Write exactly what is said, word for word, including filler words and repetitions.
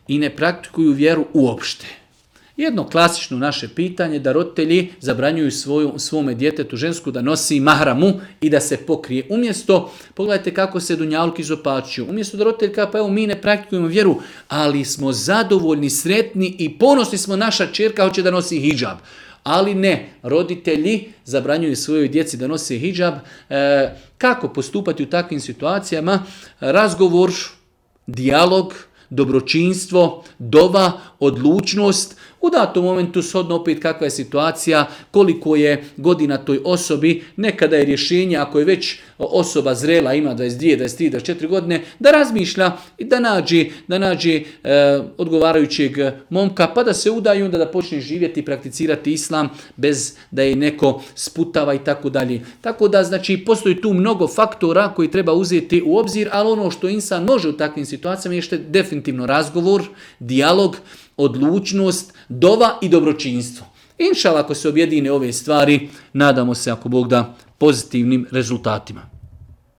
i ne praktikuju vjeru uopšte. Jedno klasično naše pitanje da roditelji zabranjuju svoju, svome djetetu žensku da nosi mahramu i da se pokrije. Umjesto, pogledajte kako se dunjaluk izopačuju, umjesto da roditelj kaže pa evo mi ne praktikujemo vjeru, ali smo zadovoljni, sretni i ponosni smo, naša ćerka hoće da nosi hidžab. Ali ne, roditelji zabranjuju svojoj djeci da nose hidžab. E, kako postupati u takvim situacijama? Razgovor, dijalog, dobročinstvo, dova, odlučnost. U datom momentu shodno opet kakva je situacija, koliko je godina toj osobi, nekada je rješenje ako je već osoba zrela, ima dvadeset dvije, dvadeset tri, dvadeset četiri godine, da razmišlja i da nađe, da nađe e, odgovarajućeg momka, pa da se udaju, onda da počne živjeti i prakticirati islam bez da je neko sputava i tako dalje. Tako da, znači, postoji tu mnogo faktora koji treba uzeti u obzir, ali ono što insan može u takvim situacijama je što definitivno razgovor, dijalog, odlučnost, dova i dobročinstvo. Inšallah, ako se objedine ove stvari, nadamo se, ako Bog da, pozitivnim rezultatima.